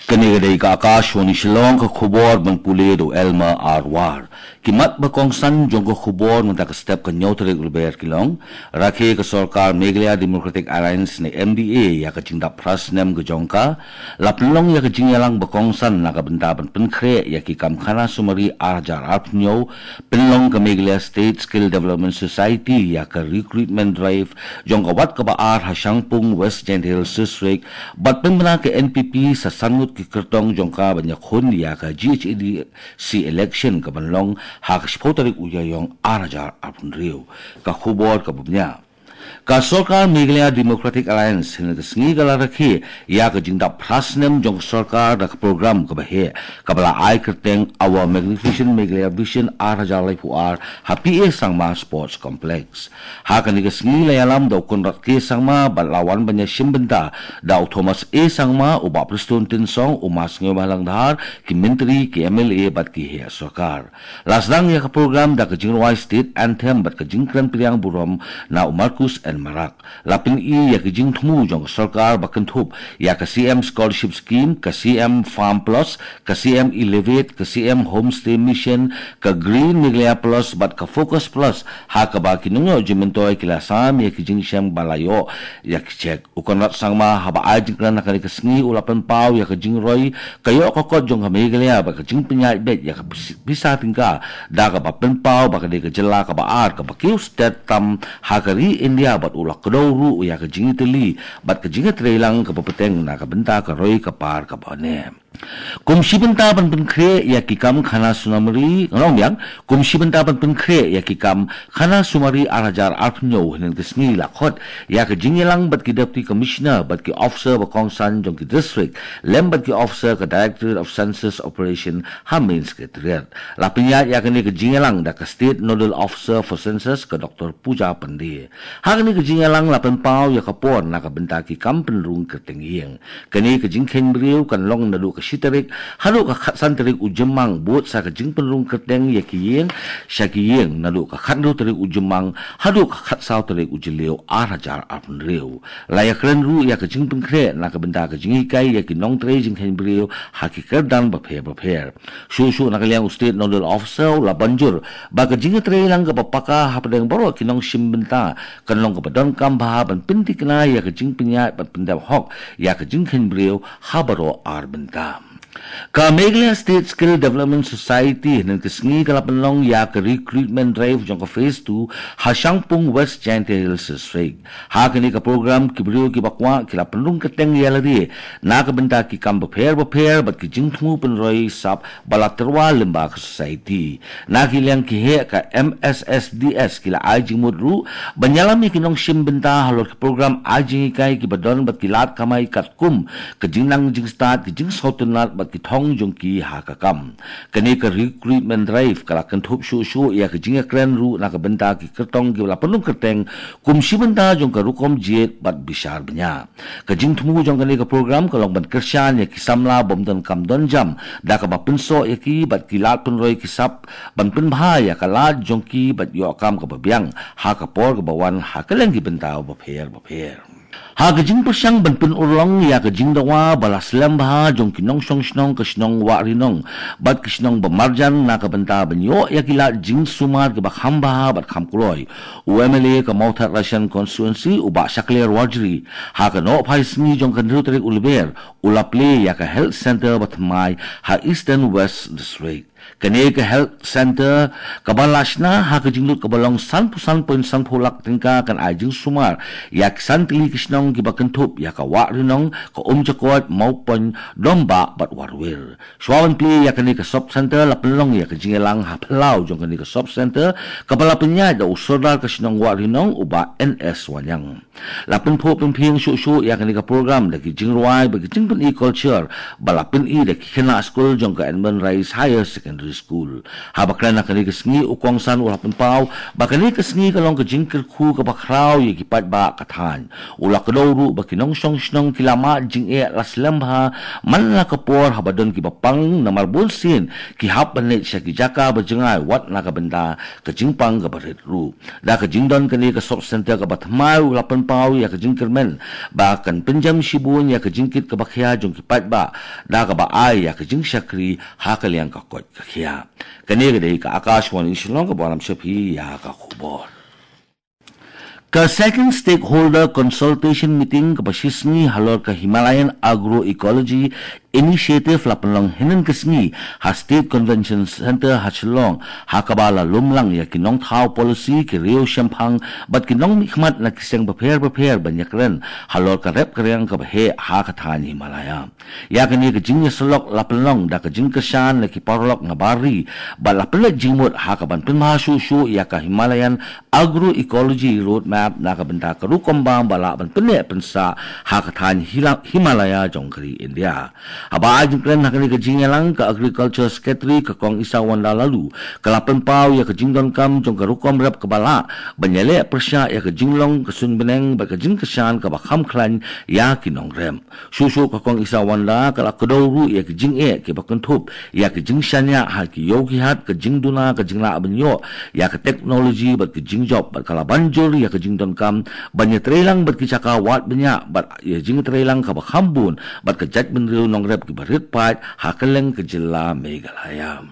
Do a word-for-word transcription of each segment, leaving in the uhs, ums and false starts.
Kane ka dei ka Akashvani Shillong, ka khubor ban pule da u Elmer Arwar. Ki mat ba kongsan jong ka khubor mynta ka step ka hynñiew tarik Lber ki long, rakhe ka sorkar Meghalaya Democratic Alliance ne M D A ïa ka jingdap phra snem ka jong ka, la pynlong ïa ka jingïalang ba kongsan na ka bynta ban pynkhreh ïa ki kam khana sumari ar hajar arphew hynñiew, pynlong ka Meghalaya State Skill Development Society ïa ka recruitment drive jong ka wat kaba ar ha Shangpung, West Jaintia Hills District, bad pynbna ka N P P sa san ngut ki kyrtong jong ka ban ïakhun ïa ka G H A D C election ka ban long ha ka shiphew tarik u Ïaïong ar hajar arphew hynriew. Ka khubor kaba bniah. Ka sorkar Meghalaya Democratic Alliance hynne ka sngi ka la rakhe ïa ka jingdap phra snem jong ka sorkar da ka program kaba heh, kaba la ai kyrteng Our Magnificent Meghalaya Vision ar hajar laiphew ar ha P A Sangma Sports Complex. Ha kane ka sngi la ïalam da u Conrad K Sangma bad la wan ban ïashim bynta da u Thomas A Sangma, u Bah Prestone Tynsong, u Ma Sniawbhalang Dhar, ki myntri, ki M L A bad ki heh sorkar. La sdang ïa ka program da ka jingrwai State Anthem bad ka jingkren pdiang burom na u Marcuise N Marak. La pyni ïa ka jingthmu jong ka sorkar ba kynthup ïa ka C M Scholarship Scheme, ka C M Farm Plus, ka C M Elevate, ka C M Homestay Mission, ka Green Meghalaya Plus bad ka Focus Plus, ha kaba ki nongïoh jingmyntoi ki la sam ïa ki jingshem ba la ïoh ïa ki cheque. U Conrad Sangma haba ai jingkren ha kane ka sngi u la pynpaw ïa ka jingroi ka ïoh ka kot jong ka Meghalaya bad ka jingpynïaid beit ïa ka pis-, pisa tyngka, da kaba pynpaw ba ka dei ka jylla kaba ar kaba kiew stet tam ha ka ri India bad u la kdew ruh ïa ka jingïatylli bad ka jingïatreilang kaba bteng na ka bynta ka roi ka par kaba ne. Kum shi bynta ban pynkhreh ïa ki kam khana sumari, nga ong biang, kum shi bynta ban pynkhreh ïa ki kam khana sumari ar hajar arphew hynñiew, hynne ka sngi la khot ïa ka jingïalang bad ki Deputy Commissioner bad ki officer ba kongsan jong ki district lem bad ki officer ka Directorate of Census Operation ha Main Secretariat. La pynïaid ïa kane ka jingïalang da ka State Nodal Officer for Census, ka Doctor Pooja Pandey. Ha kane ka jingïalang la pynpaw ïa ka por na ka bynta ki kam pynrung kyrteng ïing. Kane ka jingkheiñ briew kan long naduh ka shi tarik haduh ka khatsan tarik u Jymmang, bud sa ka jingpynrung kyrteng ïa ki ïing sha ki ïing naduh ka khathynriew tarik u Jymmang haduh ka khatsaw tarik u Jylliew ar hajar arphew hynriew. La ïakren ruh ïa ka jingpynkhreh na ka bynta ka jinghikai ïa ki nongtrei jingkheiñ briew ha ki kyrdan bapher bapher. Shuh shuh na ka liang u State Nodal Officer u la ban jur ba ka jingïatreilang kaba paka hapdeng baroh ki nongshim bynta kan long kaba donkam bha ban pynthikna ïa ka jingpynïaid bad pyndep hok ïa ka jingkheiñ briew ha baroh ar bynta. Ka Meghalaya State Skill Development Society hynne ka sngi ka la pynlong ïa ka recruitment drive jong ka phase two ha Shangpung, West Jaintia Hills District. Ha kane ka program ki briew kiba kwah ki la pynrung kyrteng ïa lade na ka bynta ki kam bapher bapher bad ki jingthmu pynroi sap ba la tyrwa lyngba ka society. Na ki liang ki heh ka M S S D S ki la ai jingmut ruh ban ïalam ïa ki nongshim bynta halor ki program ai jinghikai kiba don bad ki lad kamai katkum ka jingnang jingstad, ki jingsngewtynnat bad ki thong jong ki ha ka kam. Kane ka recruitment drive ka la kynthup shuh shuh ïa ka jingïakren ruh na ka bynta ki kyrtong kiba la pynrung kyrteng kum shi bynta jong ka rukom jied bad bishar bniah. Ka jingthmu jong kane ka program ka long ban kyrshan ïa ki samla bym donkam donjam da kaba pynsoh ïa ki bad ki lad pynroi ki sap ban pynbha ïa ka lad jong ki bad ïoh kam kaba biang ha ka por kaba wan ha kylleng ki bynta bapher bapher. Ha ka jingpyrshang ban pynurlong ïa ka jingdawa ba la slem bha jong ki nongshong shnong ka shnong Wahrinong bad ki shnong ba marjan na ka bynta ban ïoh ïa ki lad jingsumar kiba kham bha bad kham kloi, u M L A ka Mawthadraishan constituency u Bah Shakliar Warjri, ha ka nohphai sngi jong ka hynriew tarik u Lber, u la plie ïa ka health center ba thymmai ha Eastern West District. Kane ka health center kaba la shna ha ka jinglut kaba long sanphew san point sanphew lak tyngka kan ai jingsumar ïa ki san tylli ki shnong kiba kynthup ïa ka Wahrinong, ka Umjakoit, Mawpon, Dombah bad Warwir. Shuwa ban plie ïa kane ka sub center la pynlong ïa ka jingïalang ha phyllaw jong kane ka sub center kaba la pynïaid da u Sordar ka shnong Wahrinong u Bah N S Wanniang. La pynphuh pynphieng shuh shuh ïa kane ka program da ki jingrwai bad ki jingpyni culture ba la pyni da ki khynnah skul jong ka Edmund Rice Higher Secondary Secondary School. Haba kren ha kane ka sngi, u kongsan u la pynpaw ba kane ka sngi ka long ka jingkyrkhu kaba khraw ïa ki paidbah ka thaiñ. U la kdew ruh ba ki nongshong shnong ki la mad jingeh la slem bha man la ka por haba don kiba pang, namar bun sien ki hap ban leit sha ki jaka ba jngai wat na ka bynta ka jingpang kaba rit ruh. Da ka jingdon kane ka sub center kaba thymmai, u la pynpaw ïa ka jingkyrmen ba kan pynjem shibun ïa ka jingkit kaba khia jong ki paidbah da kaba ai ïa ka jingshakri ha ka liang ka koit ka khiah. Kane ka dei ka Akashvani Shillong kaba lam shaphi ïa ka khubor. Ka second stakeholder consultation meeting kaba shisngi halor ka Himalayan Agroecology Initiative la pynlong hynnin ka sngi ha State Convention Center ha Shillong, ha kaba la lum lang ïa ki nongthaw policy, ki riew shemphang bad ki nongmihkhmat na ki seng bapher bapher ban ïakren halor ka rep ka riang kaba heh ha ka thaiñ Himalaya. Ïa kane ka jingïasyllok la pynlong da ka jingkyrshan na ki paralok na bar ri bad la pynleit jingmut ha kaban pynbha shuh shuh ïa ka Himalayan Agroecology Roadmap na ka bynta ka rukom bam ba lah ban pynneh pynsah ha ka thaiñ Hila- Himalaya jong ka ri India. Haba ai jingkren ha kane ka jingïalang, ka Agriculture Secretary ka Kong Isawanda Laloo ka la pynpaw ïa ka jingdonkam jong ka rukom rep kaba lah ban ïaleh pyrshah ïa ka jinglong ka suiñ bneng bad ka jingkyrshan kaba kham khlaiñ ïa ki nongrep. Shuh shuh ka Kong Isawanda ka la kdew ruh ïa ki jingeh kiba kynthup ïa ki jingshaniah ha ki ïew ki hat, ka jingduna, ka jinglah ban ïoh ïa ka teknoloji bad ki jingjop, bad ka la ban jur ïa ka jingdonkam ban ïatreilang bad ki jaka wad bniah bad ïa jingtreilang kaba kham bun bad ka jaitbynriew nongrep kiba rit paid ha kylleng ka jylla Meghalaya.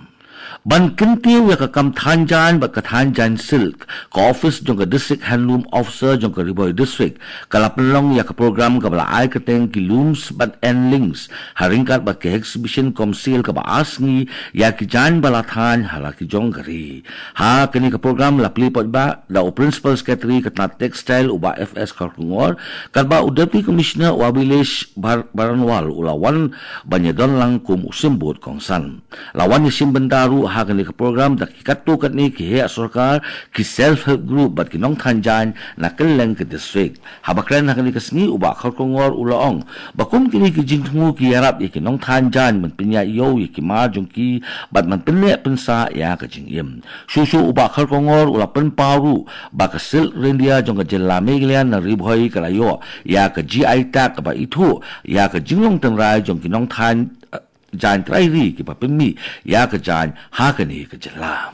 Ban kyntiew ïa ka kam thaiñ jaiñ bad ka thaiñ jaiñ silk, ka office jong ka District Handloom Officer jong ka Ri Bhoi District ka la pynlong ïa ka program kaba la ai kyrteng ki Looms bad End Links, ha ryngkat bad ka exhibition cum sale kaba ar sngi ïa ki jaiñ ba la thaiñ ha la ki jong ka ri. Ha kane ka program la plie paidbah da u Principal Secretary ka tnat Textile, u Bah F S Kharkongor, katba u Deputy Commissioner, u Abhilash Bar- Baranwal, u la wan ban ïadon lang kum u symbud kongsan. La wan ïashim bynta ruh ha kane ka program da ki katto katne ki heh sorkar, ki self help group bad ki nongthaiñ jaiñ na kylleng ka district. Haba kren ha kane ka sngi, u Bah Kharkongor u la ong ba kum kine ki jingthmu ki ïarap ïa ki nongthaiñ jaiñ ban pynïaid ïew ïa ki mar jong ki bad ban pynneh pynsah ïa ka jingim. Shuh shuh u Bah Kharkongor u la pynpaw ruh ba ka silk ryndia jong ka jylla Meghalaya na Ri Bhoi ka la ïoh ïa ka G I tag kaba ithuh ïa ka jinglong tynrai jong ki nongthaiñ, eh, jaiñ trai ri kiba pynmih ïa ka jaiñ ha kane ka jylla.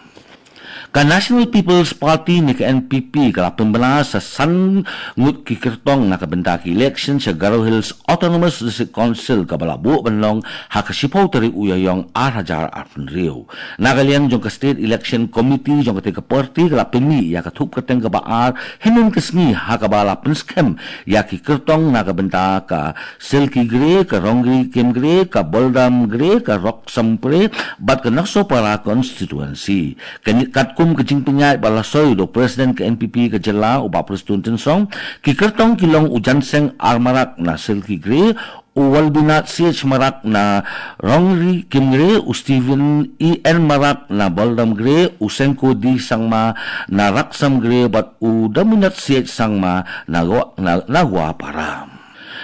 Ka National People's Party ne ka N P P ka la pynbna sa san ngut ki kyrtong na ka bynta ki election sha Garo Hills Autonomous District Council kaba la buh ban long ha ka shiphew tarik u Ïaïong ar hajar arphew hynriew. Na ka liang jong ka State Election Committee jong katei ka party ka la pynmih ïa ka thup kyrteng kaba ar hynnin ka sngi ha kaba la pynskhem ïa ki kyrtong na ka bynta ka Silky Grey, ka Rongri Kimgrey, ka Boldam Grey, ka Roxham Grey bad ka Naksopara constituency. Kane katkum ka jingpynïaid ba la soi da u President ka N P P ka jylla, u Bah Prestone Tynsong, ki kyrtong ki long u Janseng R Marak na Silky Grey, u Walbinath C H Marak na Rongri Kimgrey, u Stephen E N Marak na Boldam Grey, u Sengko D Sangma na Roxham Grey bad u Daminath C H Sangma na Gua- na, na Guapara.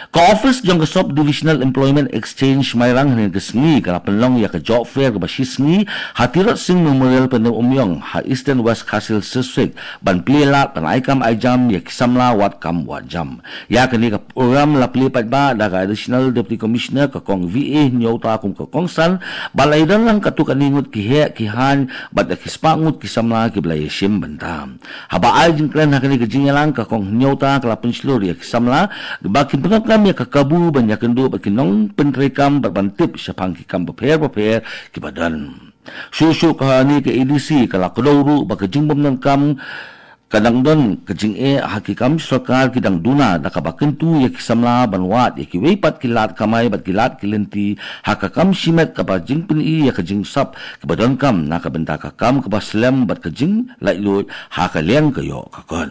Ka office jong ka Sub Divisional Employment Exchange Mairang hynnin ka sngi ka la pynlong ïa ka job fair kaba shisngi ha Tirot Sing Memorial Pyndengumiong ha Eastern West Khasi Hills District ban plie lad ban ai kam ai jam ïa ki samla wad kam wad jam. Ïa kane ka program la plie paidbah da ka Additional Deputy Commissioner ka Kong V A Hynñiewta kum ka kongsan bad la ïadon lang katto katne ngut ki heh ki haiñ bad da ki spah ngut ki samla kiba la ïashim bynta. Haba ai jingkren ha kane ka jingïalang, ka Kong Hynñiewta ka la pynshlur ïa ki samla ba kin pyndonkam ïa ka kabu ban ïakynduh bad ki nongpyntreikam bad ban tip shaphang ki kam bapher bapher kiba don. Shuh shuh kane ka A D C ka la kdew ruh ba ka jingbymdonkam ka dang don ka jingeh ha ki kam sorkar ki dang duna da kaba kyntu ïa ki samla ban wad ïa kiwei pat ki lad kamai bad ki lad ki lynti ha ka kam shimet kaba jingpyni ïa ka jingsap kiba donkam na ka bynta ka kam kaba slem bad ka jinglaitluid ha ka liang ka ïoh ka kot.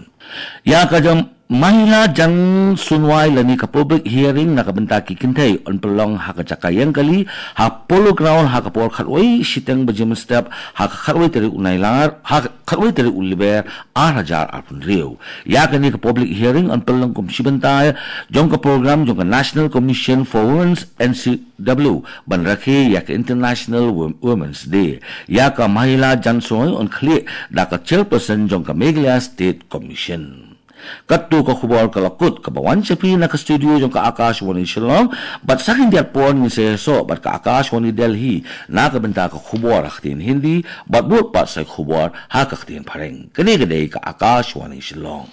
Ïa ka jam Mahila Jan Sunwai lane ka public hearing na ka bynta ki kynthei yn pynlong ha ka jaka ïeng kali ha Polo Ground ha ka por khatwei shiteng baje mynstep ha ka khatwei tarik u Nailar ha ka khatwei tarik u Lber ar hajar arphew hynriew. Ïa kane ka public hearing yn pynlong kum shi bynta jong ka program jong ka National Commission for Women's N C W ban rakhe ïa ka International Wo- Women's Day. Ïa ka Mahila Jan Sunwai yn khlieh da ka chairperson jong ka Meghalaya State Commission. Katto ka khubor ka la kut kaba wan sha phi na ka studio jong ka Akashvani Shillong, bad sa khyndiat por ngin sa ïasoh bad ka Akashvani Delhi na ka bynta ka khubor ha ka ktien Hindi, bad bud pat sa khubor ha ka ktien Phareng. Kane ka dei ka Akashvani Shillong.